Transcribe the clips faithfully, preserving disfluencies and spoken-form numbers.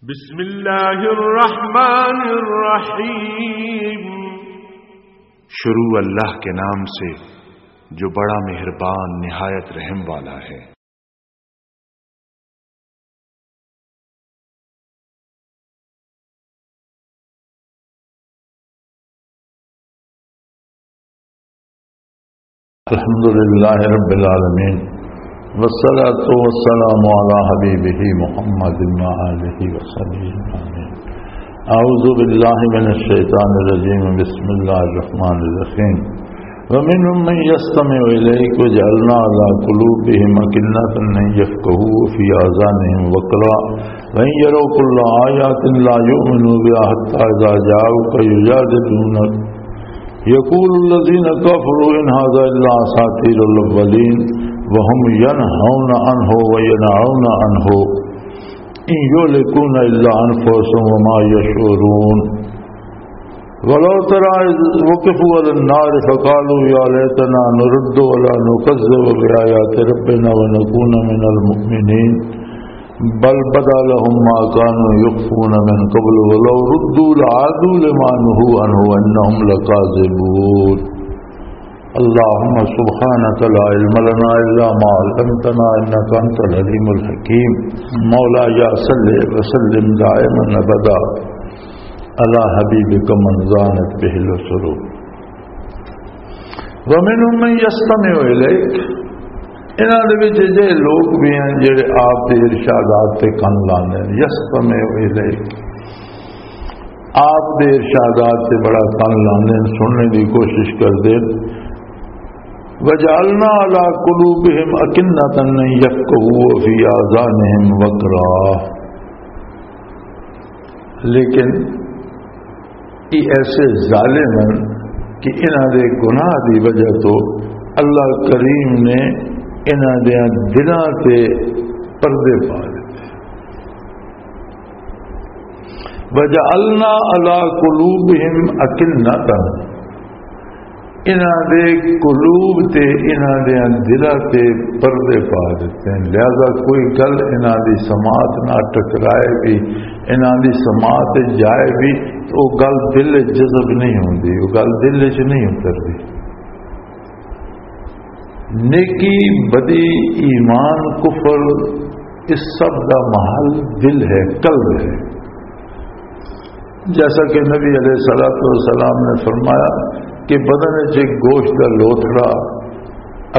بسم اللہ الرحمن الرحیم۔ شروع اللہ کے نام سے جو بڑا مہربان نہایت رحم والا ہے۔ الحمد لله رب العالمين، والصلاة والسلام على حبيبه محمد وآله وصحبه أجمعين. أعوذ بالله من الشيطان الرجيم. بسم الله الرحمن الرحيم. ومنهم من يستمع إليك وجعلنا على قلوبهم أكنة أن يفقهوا وفي آذانهم وقرا وإن يروا كل آية لا يؤمنوا بها حتى إذا جاءوك يجادلونك يقول الذين كفروا إن هذا إلا أساطير الأولين وهم ينهون عنه وينأون عنه إن يهلكون إلا أنفسهم وما يشعرون. ولو ترى إذ وقفوا على النار فقالوا يا ليتنا نرد ولا نكذب بآيات ربنا ونكون من المؤمنين. بل بدا لهم ما كانوا يخفون من قبل ولو ردوا لعادوا لما نهوا عنه وإنهم لكاذبون. اللهم سبحانك لا علم لنا إلا ما علمتنا إنك أنت العليم الحكيم. مولاي صل وسلم دائما أبدا على حبيبك من زانت به العصور. ومنهم من يستمع إليك، انہاں دے وچ اجہے لوگ بھی ہیں جڑے آپ دے ارشادات تے کن لاندے نے۔ یستمع الیک، آپ دے ارشادات تے بڑا کن لاندے نے، سننے دی کوشش کردے نے۔ وجعلنا على قلوبهم أكنة أن يفقهوا وفي آذانهم وقرا۔ لیکن یہ ایسے ظالم ہیں کہ انہاں دے گناہ دی وجہ تو اللہ کریم نے انہاں دے دلاں تے پردے پا دتے۔ وجعلنا على قلوبهم أكنة، انہاں دے قلوب تے، انہاں دے دلاں تے پردے پا دتے ہیں، لہذا کوئی گل انہاں دی سماعت نہ ٹکرائے بھی، انہاں دی سماعت جائے بھی، تو وہ گل دل وچ جذب نہیں ہوندی، وہ گل دل وچ نہیں اتردی۔ نیکی، بدی، ایمان، کفر، اس سب دا محل دل ہے، قلب ہے۔ جیسا کہ نبی علیہ الصلوۃ والسلام نے فرمایا کہ بدن وچ ایک گوشت دا لوتھڑا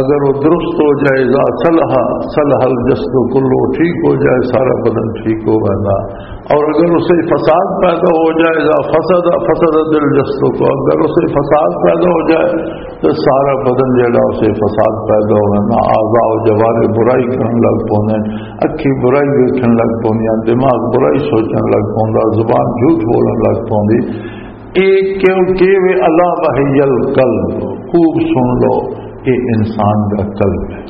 اگر وہ درست ہو جائے، اذا صلح صلح الجسد کلو، ٹھیک ہو جائے، سارا بدن ٹھیک ہو گیا۔ اور اگر اسے فساد پیدا ہو جائے، اذا فسد فسد الجسد کو، اگر اسے فساد پیدا ہو جائے تو سارا بدن جڑا اسے فساد پیدا ہو گیا، اعضاء و جوارح برائی کرن لگ پوندے، اکھی برائی دیکھن لگ پوندیاں، دماغ برائی سوچن لگ پوندا، زبان جھوٹ بولن لگ پوندی۔ اے کیوں کہ وہ الا وہی القلب، خوب سن لو، یہ انسان کا قلب ہے۔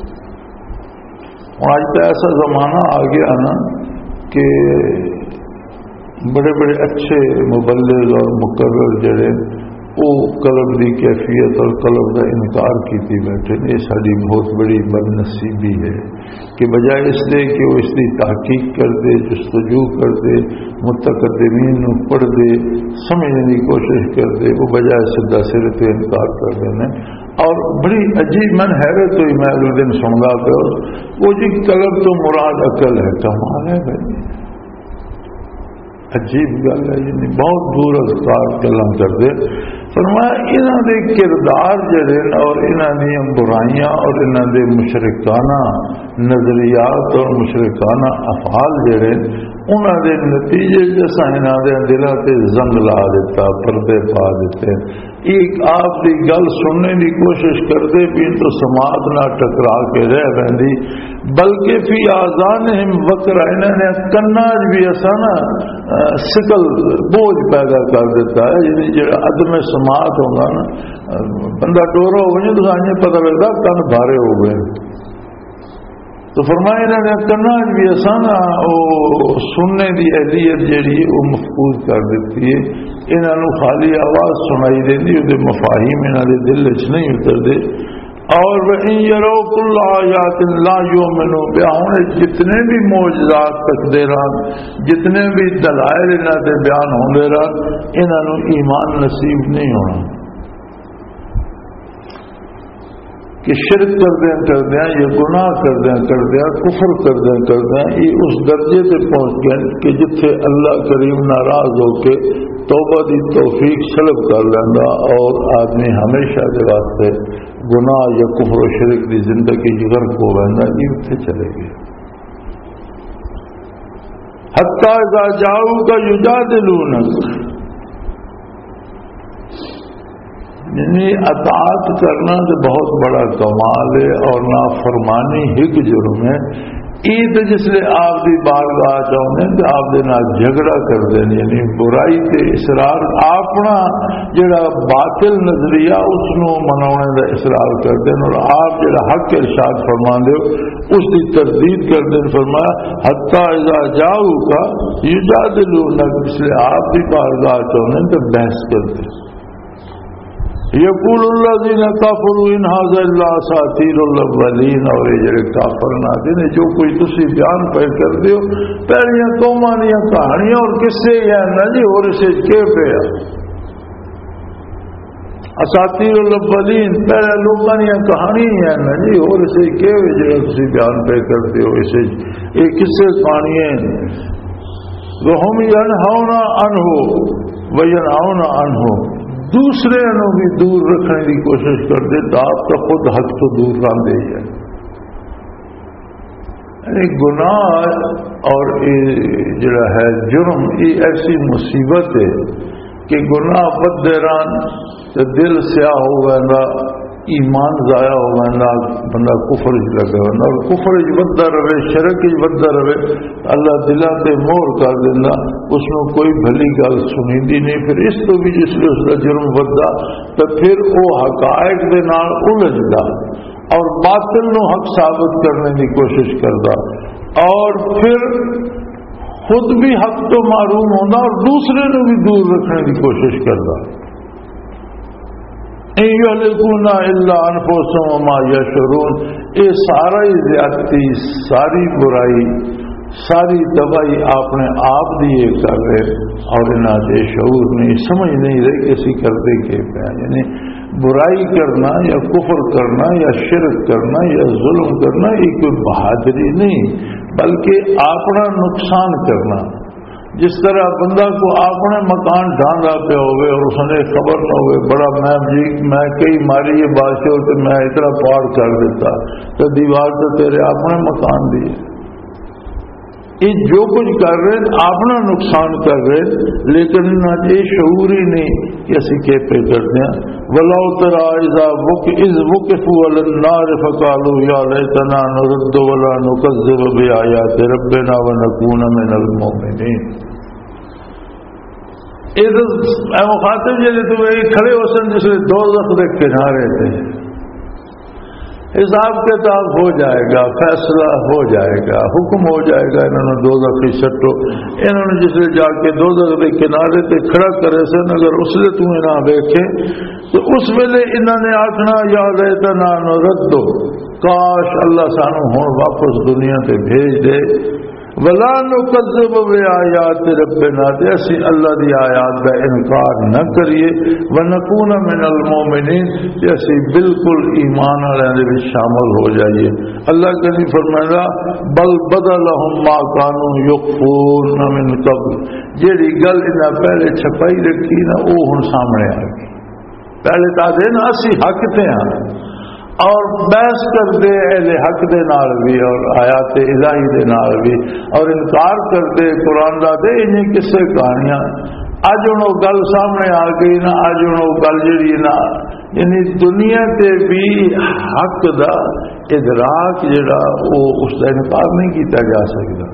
اور آج تو ایسا زمانہ آ گیا نا کہ بڑے بڑے اچھے مبلغ اور مقرر جڑے، وہ قلب دی کیفیت اور قلب دا انکار کیتی بیٹھے نے۔ یہ ساری بہت بڑی بدنصیبی ہے کہ بجائے اس دے کہ وہ اس دی تحقیق کر دے، جستجو کر دے، متقدمین نو پڑھ دے، سمجھنے دی کوشش کر دے، وہ بجائے سیدھا سر تے انکار کر دینے۔ اور بڑی عجیب، من حیرت ہوئی، میں اگلے دن سندا پیا، وہ جی قلب تو مراد عقل ہے۔ کمال ہے بھائی، عجیب گل ہے، یعنی بہت دور از کار گلاں کردے۔ فرمایا، انہاں دے کردار جڑے نے اور انہاں دیاں برائیاں اور انہاں دے مشرکانہ نظریات اور مشرکانہ افعال جڑے نے، انہاں دے نتیجے جیسا انہاں دے دلاں تے زنگ لا دیتا، پردے پا دیتے۔ ایک آپ دی گل سننے دی کوشش کردے پین تو سماعت نہ ٹکرا کے رہ ویندی، بلکہ فی آذانہم وقرا، انہاں نے کناں وچ بھی ایسا نا، آ، ثقل، بوجھ پیدا کر دیتا ہے، یعنی جڑا عدم سماعت ہوندا نا، آ، بندہ ڈورا ہو وجے تو سانجے پتہ لگدا کن بھارے ہو گئے۔ تو فرمایا، انہاں نے کناں وچ بھی ایسا نا، او سننے دی اہلیت جڑی ہے، او مفقود کر دتی ہے۔ انہاں نوں خالی آواز سنائی دیندی، اودے مفاہیم انہاں دے دل وچ نہیں اتردے۔ اور وَإِن يَرَوْا كُلَّ آيَاتٍ لَا يُؤْمِنُوا بِهَا، ہن جتنے بھی معجزات تکدے رہن، جتنے بھی دلائل انہاں دے بیان ہوندے رہن، انہاں نوں ایمان نصیب نہیں ہونا۔ کہ شرک کردیاں کردیاں یا گناہ کردیاں کردیاں، کفر کردیاں کردیاں، یہ اس درجے تے پہنچ گئے کہ جتھے اللہ کریم ناراض ہو کے توبہ دی توفیق سلب کر لیندا اور آدمی ہمیشہ دے واسطے گناہ یا کفر و شرک دی زندگی غرق ہو ویندا، یہ اتھے چلے گئے۔ حتی اذا جاؤک یجادلونک، یعنی اطاعت کرنا تو بہت بڑا کمال ہے اور نافرمانی ایک جرم ہے۔ یہ تو جس لئے آپ دی بارگاہ چاہتے ہیں تو آپ دے نال جھگڑا کر دیں، یعنی برائی تے اصرار، اپنا جڑا باطل نظریہ اس نو مناونے دا اصرار کر دیں اور آپ جڑا حق ارشاد فرما دے ہو اس دی تردید کر دیں۔ فرمایا حتی اذا جاؤک یجادلونک، اس لئے آپ دی بارگاہ چاہتے ہیں تو بحث کر دیں۔ یقول الذین کفروا ان ھذا الا اساطیر الاولین، اور یہ جڑے کافر نہ دے نے جو کوئی تسی بیان پہ کر دیو، پہلیاں قوماں دیاں کہانیاں اور قصے ہی ہیں نا جی، اور اسے کے پیا؟ اساطیر الاولین، پہلے لوکاں دیاں کہانیاں ہی ہیں نا جی، اور اسے کے وے جڑا تسی بیان پہ کر دیو؟ اسے یہ قصے کہانیاں ہیں۔ وَهُمْ يَنْهَوْنَ عَنْهُ وَيَنْأَوْنَ عَنْهُ، دوسرے نو بھی دور رکھنے کی کوشش کر دے تو آپ کا خود حق تو دور رہندے ہی ہے۔ یعنی گناہ اور یہ جڑا ہے جرم، یہ ایسی مصیبت ہے کہ گناہ بدے رہن تے دل سیاہ ہو ویندا، ایمان ضائع ہو ویندا، بندہ کفر وچ لگا ویندا، اور کفر وچ وددا رہے، شرک وچ وددا رہے، اللہ دلاں تے مہر کر دیندا، اس نوں کوئی بھلی گل سنیندی نہیں۔ پھر اس تو بھی جس لئے اس دا جرم وددا، تے پھر او حقائق دے نال الجھدا اور باطل نوں حق ثابت کرنے دی کوشش کردا، اور پھر خود بھی حق تو محروم ہوندا اور دوسرے نوں بھی دور رکھنے دی کوشش کردا۔ ان یہلکون الا انفسهم وما یشعرون، یہ سارا ہی زیادتی، ساری برائی، ساری تباہی اپنے آپ دی یہ کر رہے، اور انہاں دے شعور نہیں، سمجھ نہیں رہی کہ اسی کردے کے پہ ہیں۔ یعنی برائی کرنا یا کفر کرنا یا شرک کرنا یا ظلم کرنا، یہ کوئی بہادری نہیں، بلکہ اپنا نقصان کرنا۔ جس طرح بندہ کو اپنے مکان ڈھاندا پیا ہوئے اور اس نے خبر نہ ہوئے، بڑا میں جی، میں کئی ماری یہ بادشاہ تے میں اتنا پاڑ کر دیتا، تو دیوار تو تیرے اپنے مکان دی ہے۔ یہ جو کچھ کر رہے ہیں، اپنا نقصان کر رہے ہیں، لیکن انہاں 'چ یہ شعور ہی نہیں کہ اسی کہہ پہ کرتے ہیں۔ ولو ترى اذا وق-، اذ وقفوا على النار فقالوا يا ليتنا نرد ولا نكذب بآيات ربنا ونكون من المؤمنين۔ اے تے اے مخاطب جڑے تو اے کھڑے ہو سن جس ویلے دوزخ دے کنارے تے، حساب کتاب ہو جائے گا، فیصلہ ہو جائے گا، حکم ہو جائے گا، انہاں نوں دوزخ وچ سٹو۔ انہاں نوں جس ویلے جا کے دوزخ دے کنارے تے کھڑا کرے سن، اگر اس ویلے تو انہاں ویکھے تو اس ویلے انہاں نے آکھنا، یا لیتنا نرد، کاش اللہ سانو ہن واپس دنیا تے بھیج دے، ولا نکذب بآیات ربنا، تے اسی اللہ دی آیات دا انکار نہ کریے، ونکون من المؤمنین، تے اسی بالکل ایمان والے دے وچ شامل ہو جائیے۔ اللہ کہیں فرمائے گا، بل بدا لهم ما كانوا يخفون من قبل، جیڑی گل انہاں پہلے چھپائی رکھی نا، وہ ہن سامنے آ گئی۔ پہلے تو آدھے نا اسی حق تے ہاں، اور بحث کردے اہل حق دے نال بھی اور آیات الہی دے نال بھی، اور انکار کردے قرآن دا، تے انہیں قصے کہانیاں۔ اج ہن او گل سامنے آ گئی نا، اج ہن او گل جڑی نا، یعنی دنیا تے بھی حق دا ادراک جڑا، او اس دا انکار نہیں کیتا جا سکدا۔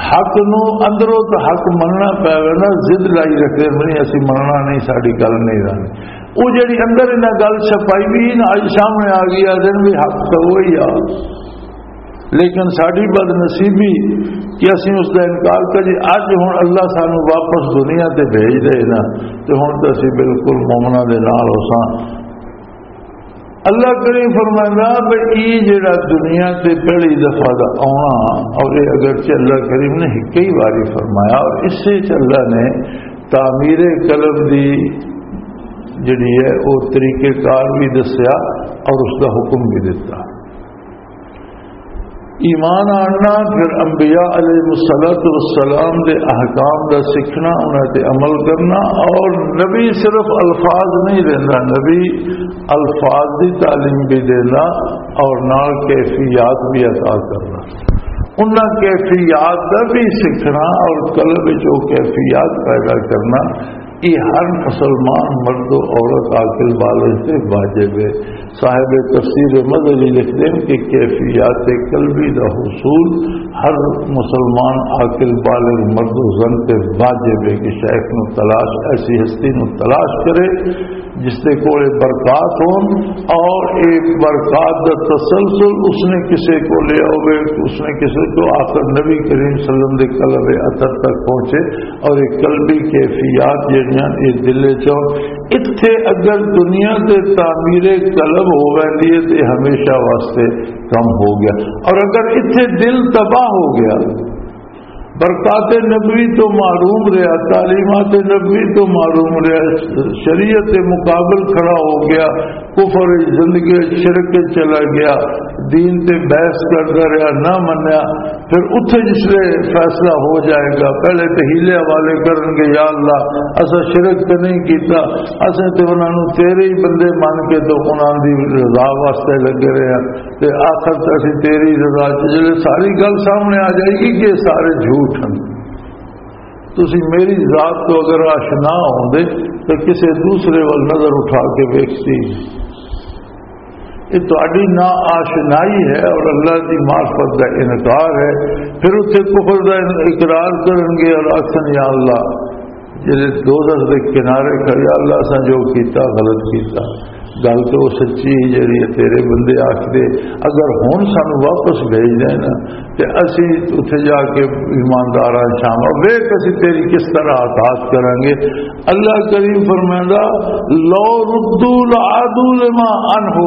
حق نو اندروں تو حق مننا پے گا نا، ضد لائی رکھے بنی اسی مننا نہیں، ساڈی گل نہیں رہنی۔ وہ جڑی اندر انہاں گل چھپائی بھی نا، اج سامنے آ گئی، آ دن بھی حق تو وہی آ۔ لیکن ساڈی بد نصیبی کہ اسی اس دا انکار کریے۔ اج ہن اللہ سانو واپس دنیا تے بھیج دے نا، تے ہن تے اسی بالکل مومناں دے نال ہو ساں۔ اللہ کریم فرمائندا، بھئی، یہ جڑا دنیا تے پہلی دفعہ دا آنا، اور یہ اگرچہ اللہ کریم نے کئی واری فرمایا، اور اس سے اللہ نے تعمیر قلب دی جڑی ہے، وہ طریقہ کار بھی دسیا اور اس دا حکم بھی دتا۔ ایمان آننا، پھر انبیاء علیہ الصلوۃ والسلام دے احکام دا سیکھنا، انہاں تے عمل کرنا، اور نبی صرف الفاظ نہیں دینا، نبی الفاظ دی تعلیم بھی دینا اور نال کیفیات بھی عطا کرنا۔ انہاں کیفیات دا بھی سیکھنا اور قلب وچ او کیفیات پیدا کرنا، یہ ہر مسلمان مرد و عورت عاقل بالغ تے واجب ہے۔ صاحب تفسیر مظہری لکھتے ہیں کہ کیفیات قلبی دا حصول ہر مسلمان عاقل بالغ مرد و زن تے واجب ہے کہ شیخ نو تلاش، ایسی ہستی نو تلاش کرے جس دے کولے برکات ہون، اور ایک برکات دا تسلسل اس نے کسے کو لے آوے، اس نے کسے کو آخر نبی کریم صلی اللہ علیہ وسلم دے قلب اطہر تک پہنچے، اور ایک قلبی کیفیات جڑیاں یہ دل چوں۔ اتھے اگر دنیا تے تعمیر قلب ہو ویندی ہے تے ہمیشہ واسطے کم ہو گیا، اور اگر اتھے دل تباہ ہو گیا، برکات نبوی تو محروم رہا، تعلیمات نبوی تو محروم رہا، شریعت مقابل کھڑا ہو گیا، کفر زندگی، شرک چلا گیا، دین تے بحث کردا رہا، نہ منیا۔ پھر اتھے جس لے فیصلہ ہو جائے گا، پہلے تے حیلے حوالے کرن گے، یا اللہ، اسا شرک تے نہیں کیتا، اسے تے انہاں نوں تیرے ہی بندے من کے تو انہاں دی رضا واسطے لگے رہے ہیں، تے آخر تے اسی تیری رضا چ، جلے ساری گل سامنے آ جائے گی کہ یہ سارے جھوٹ ہیں۔ تسی میری ذات تو اگر آشنا ہوندے تو کسے دوسرے وال نظر اٹھا کے ویکھتی۔ یہ تہاڈی نا آشنائی ہے اور اللہ دی معرفت دا انکار ہے۔ پھر اتھے کفر دا اقرار کرن گے اور آکھن، یا اللہ، جڑے دوزخ دے کنارے کھڑے، یا اللہ، اساں جو کیتا، غلط کیتا۔ گل تے او سچی ہے جڑی ہے تیرے بندے آکھدے، اگر ہن سانو واپس بھیج دے نا تے اسی اتھے جا کے ایمانداراں شامل ویکھ اسی تیری کس طرح اطاعت کریں گے۔ اللہ کریم فرمائندا، لو ردوا لعادوا لما عنہ،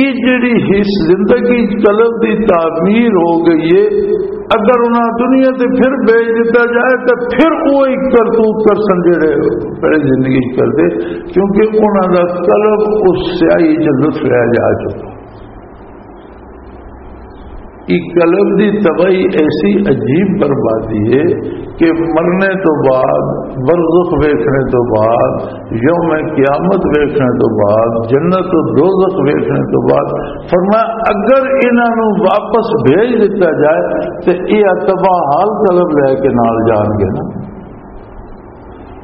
یہ جڑی اس زندگی قلب دی تعمیر ہو گئی ہے، اگر انہاں دنیا تے پھر بھیج دتا جائے تو پھر وہی کرتوت کرسن جڑے پہلے زندگی چ کردے، کیونکہ انہاں دا قلب اس سیاہی چ لطف لیا جا چکا۔ یہ قلب دی تباہی ایسی عجیب بربادی ہے کہ مرنے تو بعد، برزخ ویکھنے تو بعد، یوم قیامت ویکھنے تو بعد، جنت و دوزخ ویکھنے تو بعد، فرمایا، اگر انہاں نوں واپس بھیج دتا جائے تے یہ تباہ حال قلب لے کے نال جان گے نا۔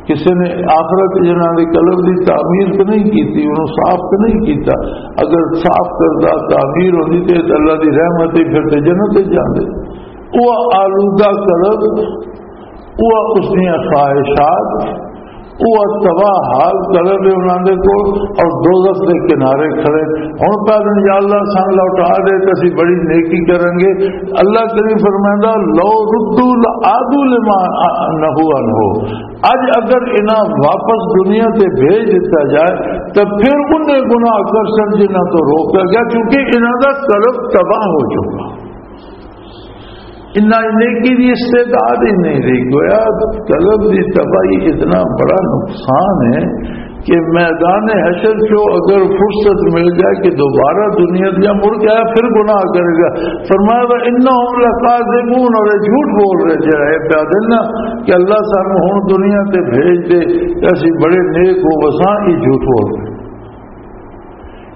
کسی نے آخرت جنہاں دے قلب دی تعمیر تو نہیں کیتی، انہوں صاف تو نہیں کیتا۔ اگر صاف کردہ تعمیر ہوندی تے اللہ دی رحمت ہی پھر تے جنت تے جاندے۔ وہ آلودہ قلب، وہ اس دیاں خواہشات، وہ تباہ حال قلب ہے انہاں دے کول، اور دوزخ دے کنارے کھڑے۔ ہن پہلے، یا اللہ، سان لوٹا دے تے اسی بڑی نیکی کریں گے۔ اللہ کریم فرمائندا، لو ردوا لعادوا لما نہوا عنہ۔ اج اگر انہاں واپس دنیا تے بھیج دتا جائے تو پھر انہیں گناہ کر سن جنہاں تو روکا گیا، کیونکہ انہاں دا قلب تباہ ہو چکا۔ انہاں نیکی دی استعداد ہی نہیں رہی۔ گویا قلب دی تباہی اتنا بڑا نقصان ہے کہ میدان حشر چو اگر فرصت مل جائے کہ دوبارہ دنیا دیا مڑ کے آیا، پھر گناہ کرے گا۔ فرمایا، "وَإِنَّهُمْ لَكَاذِبُونَ"، اور یہ جھوٹ بول رہے، جڑا یہ پیا دن نا کہ اللہ سانو ہن دنیا تے بھیج دے تے اسی بڑے نیک ہو وساں، یہ جھوٹ بول رہے۔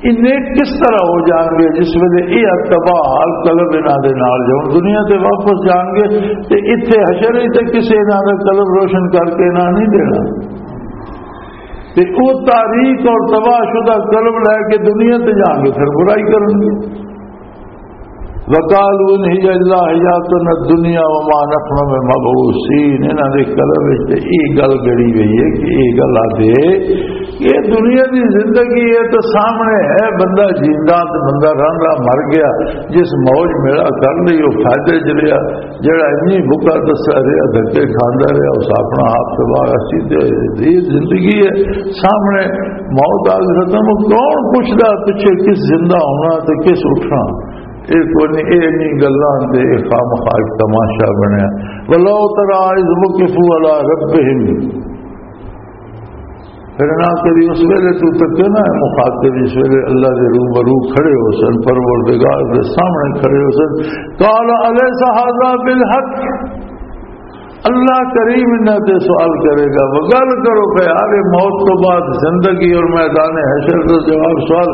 یہ نیک کس طرح ہو جان گے جس ویلے یہ تباہ حال قلب انہاں دے نال جاؤ، دنیا تے واپس جان گے تے اتھے حشر ہی تے کسے انہاں دا قلب روشن کر کے انہاں نہیں دینا۔ تے او تاریک اور تباہ شدہ قلب لے کے دنیا تے جان گے، پھر برائی کرن گے۔ وقالوا ان هي الا حياتنا الدنيا وما نحن بمبعوثين۔ انہاں دے قلب وچ تے یہ گل گڑی گئی ہے کہ یہ گل آدھے کہ یہ دنیا دی زندگی ہے تو سامنے ہے، بندہ جیندا تے بندہ رہندا، مر گیا، جس موج میڑا کر لئی وہ فائدے چ رہیا، جڑا انی بھکا دسا رہیا، دھکے کھاندا رہیا، اس اپنا آپ تباہ، اسی تے یہ زندگی ہے، سامنے موت آ کے ختم۔ کون پوچھدا پچھے کس زندہ ہونا تے کس اٹھنا؟ یہ کوئی نہیں، یہ نہیں گلاں تے یہ خامخواہ ایک تماشا بنیا۔ ولو ترى اذ وقفوا على ربهم، پھر نہ کبھی اس ویلے تو تک نہ ہے مخاطب، اس ویلے اللہ دے روبرو کھڑے ہو سن، پروردگار دے سامنے کھڑے ہو سن۔ قال الیس ھذا بالحق، اللہ کریم انہاں تے سوال کرے گا، وہ گل کرو کہ یار، یہ موت تو بعد زندگی اور میدان حشر کا جواب سوال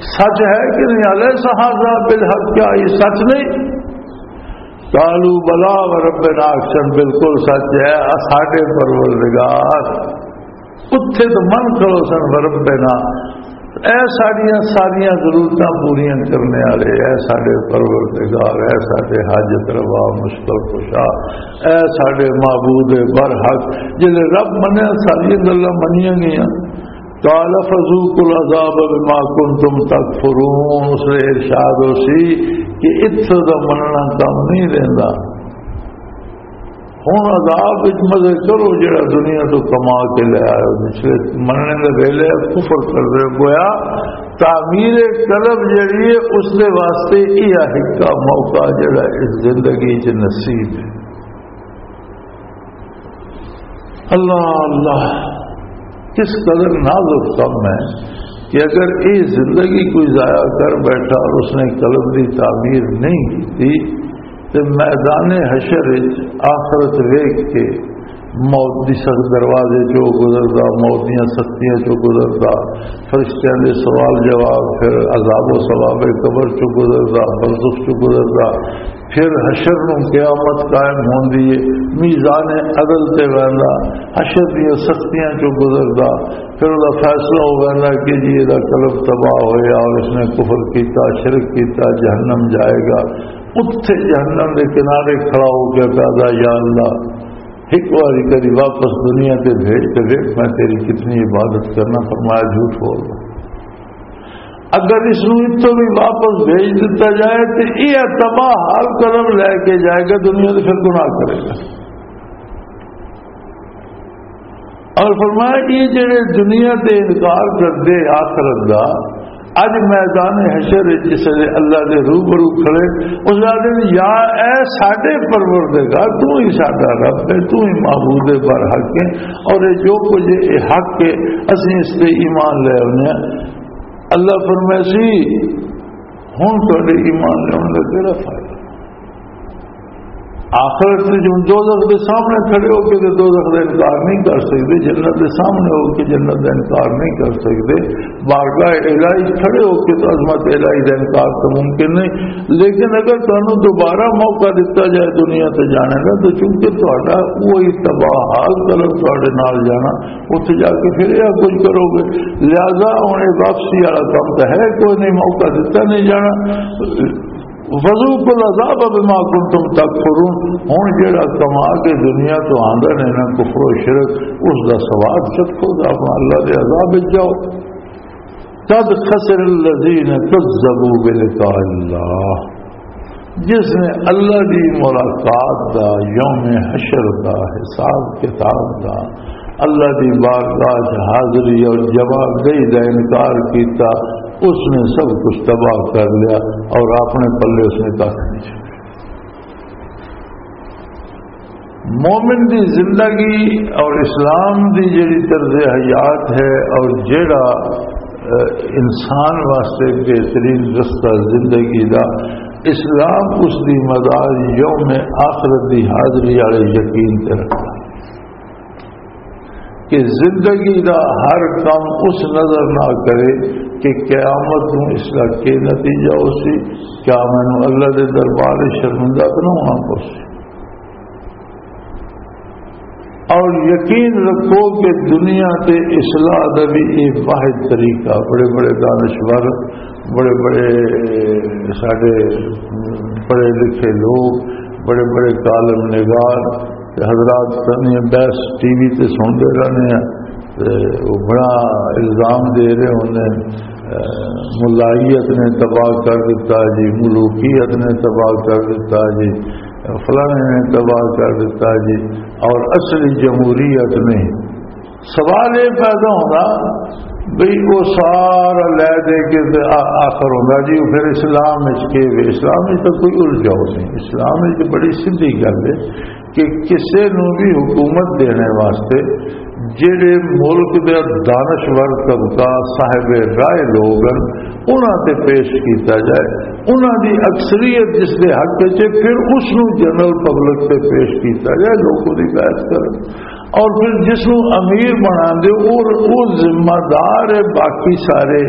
سچ ہے کہ نہیں؟ الیس ھذا بالحق، کیا یہ سچ نہیں؟ قالوا بلی وربنا، آکھن بالکل سچ ہے، آ ساڈے پروردگار۔ اتھے تو من کرو سن وربنا، اے ساڈیاں ساریاں ضرورتاں پوریاں کرنے والے، اے ساڈے پروردگار، اے ساڈے حاجت روا، مشکل کشا، اے ساڈے معبود برحق۔ جلے رب منیا، ساریاں گلاں منیاں گئیاں۔ قال فذوقوا العذاب بما كنتم تكفرون، اس نے ارشاد ہو سی کہ اتھے دا مننا کم نہیں رہندا۔ ہن عذاب وچ مزے کرو جڑا دنیا تو کما کے لے آئے ہو، پچھلے مننے دے ویلے کفر کر رہے ہو۔ گویا تعمیر قلب جڑی ہے، اس دے واسطے یہ ہکا موقع جڑا اس زندگی چ نصیب ہے۔ اللہ اللہ، کس قدر نازک کم ہے کہ اگر یہ زندگی کوئی ضائع کر بیٹھا اور اس نے قلب کی تعمیر نہیں کی، تو میدان حشر وچ آخرت ویکھ کے موت دی سخت دروازے چوں گزردا، موت دیاں سختیاں چوں گزردا، فرشتیاں دے سوال جواب، پھر عذاب و ثواب قبر چوں گزردا، برزخ چوں گزردا، پھر حشر نوں قیامت قائم ہوندی ہے، میزان عدل تے ویندا، حشر دیاں سختیاں چوں گزردا، پھر وہ فیصلہ ہو ویندا کہ جی، یہ قلب تباہ ہویا اور اس نے کفر کیتا، شرک کیتا، جہنم جائے گا۔ اتھے جہنم دے کنارے کھڑا ہو کے کہدا، یا اللہ، ایک باری تیری واپس دنیا تے بھیج تے ویکھ میں تیری کتنی عبادت کرنا، فرمایا جھوٹ بول رہا۔ اگر اس نوں اتوں بھی واپس بھیج دتا جائے تو یہ تباہ حال قدم لے کے جائے گا دنیا تے، پھر گناہ کرے گا۔ اور فرمایا، یہ جڑے دنیا تے انکار کردے آخرت دا، اج میدان حشر وچ جس ویلے اللہ دے روبرو کھڑے، اس آدھے، یا اے ساڈے پروردگار، تو ہی ساڈا رب ہے، تو ہی معبود برحق ہے، اور یہ جو کچھ یہ حق ہے، اسیں اس تے ایمان لے آنے ہیں۔ اللہ فرمائے سی، ہن تہاڈے ایمان لیون دا کیڑا فائدہ؟ آخرت وچ ہن دوزخ دے سامنے کھڑے ہو کے تے دوزخ دا انکار نہیں کر سکدے، جنت دے سامنے ہو کے جنت دا انکار نہیں کر سکدے، بارگاہ الہی کھڑے ہو کے تو عظمت الہی دا انکار تو ممکن نہیں۔ لیکن اگر تانوں دوبارہ موقع دتا جائے دنیا تے جانے دا، تو چونکہ تہاڈا وہی تباہ حال قلب تہاڈے نال جانا، اتھے جا کے پھر یہ کچھ کرو گے۔ لہذا ہن یہ واپسی والا کم تو ہے کوئی نہیں، موقع دتا نہیں جانا۔ فذوقوا العذاب بما کنتم تکفرون۔ ہن جڑا کما کے دنیا تو آندا نے نا کفر و شرک، اس دا سواد چکھو، تے اپنا اللہ دے عذاب وچ جاؤ۔ قد خسر الذین کذبوا بلقاء اللہ، جس نے اللہ دی ملاقات دا، یوم حشر دا، حساب کتاب دا، اللہ دی بارگاہ چ حاضری اور جواب دہی دا انکار کیتا، اس نے سب کچھ تباہ کر لیا اور اپنے پلے اس نے کھ نہیں چھوڑیا۔ مومن دی زندگی اور اسلام دی جڑی طرز حیات ہے اور جڑا، اہ، انسان واسطے بہترین رستہ زندگی دا، اسلام اس دی مدار یوم آخرت دی حاضری والے یقین تے رکھدا کہ زندگی دا ہر کم اس نظر نہ کرے کہ قیامت نوں اس دا کی نتیجہ ہو سی، کیا مینوں اللہ دے دربار وچ شرمندہ تو نہ ہونا پو سی۔ اور یقین رکھو کہ دنیا تے اصلاح دا بھی ایک واحد طریقہ، بڑے بڑے دانشور بڑے بڑے ساڈے پڑھے لکھے لوگ، بڑے بڑے کالم نگار تے حضرات سنی بحث ٹی وی تے سنتے رہنے ہیں۔ تے وہ بڑا الزام دے رہے ہوندے، اے، ملائیت نے تباہ کر دیتا جی، ملوکیت نے تباہ کر دیتا جی، فلانے نے تباہ کر دیتا جی، اور اصلی جمہوریت نہیں۔ سوال یہ پیدا ہونا بھئی وہ سارا لے دے کے تے آ-، آخر ہونا جی، پھر اسلام وچ کے وے؟ اسلام وچ تو کوئی الجھاؤ نہیں۔ اسلام وچ بڑی سیدھی گل ہے کہ کسے نو بھی حکومت دینے واسطے جڑے ملک دے دانشور طبقہ، صاحب رائے لوگ ہیں، انہاں تے پیش کیتا جائے، انہاں دی اکثریت جس دے حق وچ ہے، پھر اس نو جنرل پبلک تے پیش کیتا جائے، لوگ دی بیعت کرن۔ اور پھر جس نو امیر بنا دے، وہ، وہ ذمہ دار ہے باقی سارے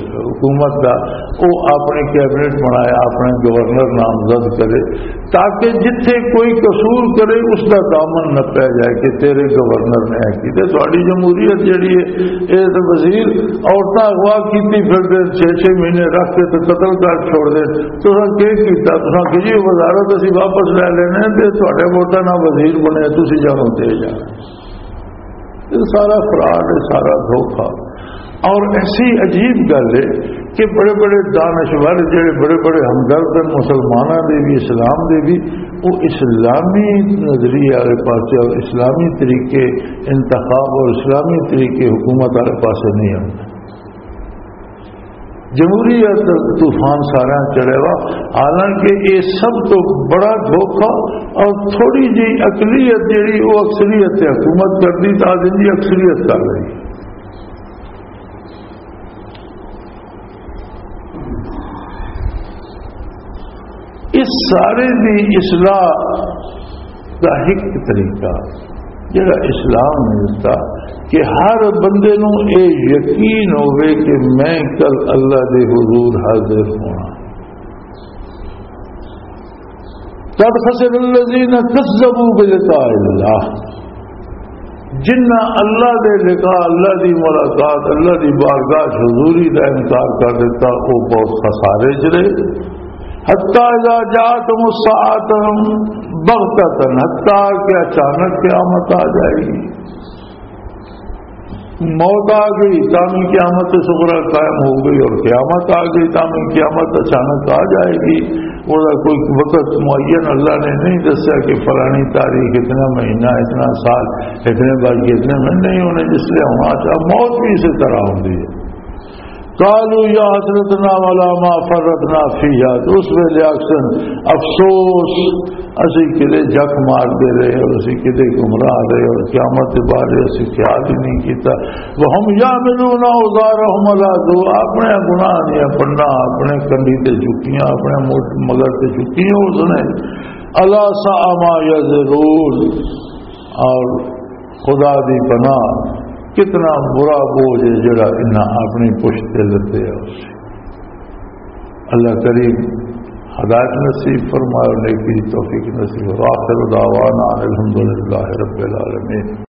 حکومت دا۔ وہ اپنے کیبنٹ بنائے، اپنے گورنر نامزد کرے، تاکہ جتھے کوئی قصور کرے، اس دا دامن نہ پہ جائے کہ تیرے گورنر نے ایسی۔ تے تہاڈی جمہوریت جڑی ہے، اے تے وزیر عورتاں اغوا کیتی پھردے، چھ چھ مہینے رکھ کے تے قتل کر چھوڑ دے۔ تساں کی کیتا؟ تساں کہ جی وزارت اسی واپس لے لینے تے تہاڈے ووٹاں نال وزیر بنے، تسی جانو تے جانو۔ یہ سارا فراڈ ہے، سارا دھوکا۔ اور ایسی عجیب گل ہے کہ بڑے بڑے دانشور، جڑے بڑے بڑے ہمدرد ہیں مسلمانوں دے بھی، اسلام دے بھی، وہ اسلامی نظریے والے پاسے اور اسلامی طریقے انتخاب اور اسلامی طریقے حکومت والے پاسے نہیں آتے۔ جمہوریت طوفان سارا چڑھے وا، حالانکہ یہ سب تو بڑا دھوکا۔ اور تھوڑی جی اقلیت جڑی وہ اکثریت تے حکومت کرتی، تو آج ان کی اکثریت کر رہی۔ اس سارے دی اصلاح دا ایک طریقہ جڑا اسلام نے دتا کہ ہر بندے نوں اے یقین ہوئے کہ میں کل اللہ دے حضور حاضر ہونا۔ قد خسر الذین کذبوا بلقاء اللہ، جنہ اللہ دے لقاء، اللہ دی ملاقات، اللہ دی بارگاہ حضوری دا انکار کر دیتا، وہ بہت خسارے چ رہے۔ حتی اذا جاءتهم الساعة بغتة، حتی کہ اچانک قیامت آ جائے گی۔ موت آ گئی، تاں بھی قیامت صغریٰ قائم ہو گئی، اور قیامت آ گئی، تاں بھی قیامت اچانک آ جائے گی۔ وہ کوئی وقت معین اللہ نے نہیں دسیا کہ فلانی تاریخ، اتنا مہینہ، اتنا سال، اتنے بج کے اتنے منٹ نہیں ہونے، جس لیے ہونا چاہیے۔ موت بھی اسی طرح ہوندی ہے۔ قالوا یا حسرتنا علی ما فرطنا فیہا، تو اس ویلے آکھسن، افسوس، اسی کدے جک مار دے رہے اور اسی کدے گمراہ رہے اور قیامت دے بارے اسی خیال ہی نہیں کیتا۔ وہم یحملون اوزارہم علی ظہور، اپنے گناہ دیاں پنڈاں اپنے کندھی تے چکیاں، اپنے موٹ-، مگر تے چکیاں اس نے۔ الا ساء ما یزرون، اور خدا دی پناہ، کتنا برا بوجھ ہے جڑا انہاں اپنی پشت تے لدے ہے۔ اللہ کریم ہدایت نصیب فرمائے اور نیکی دی توفیق نصیب۔ وآخر دعوانا ان الحمدللہ رب العالمین۔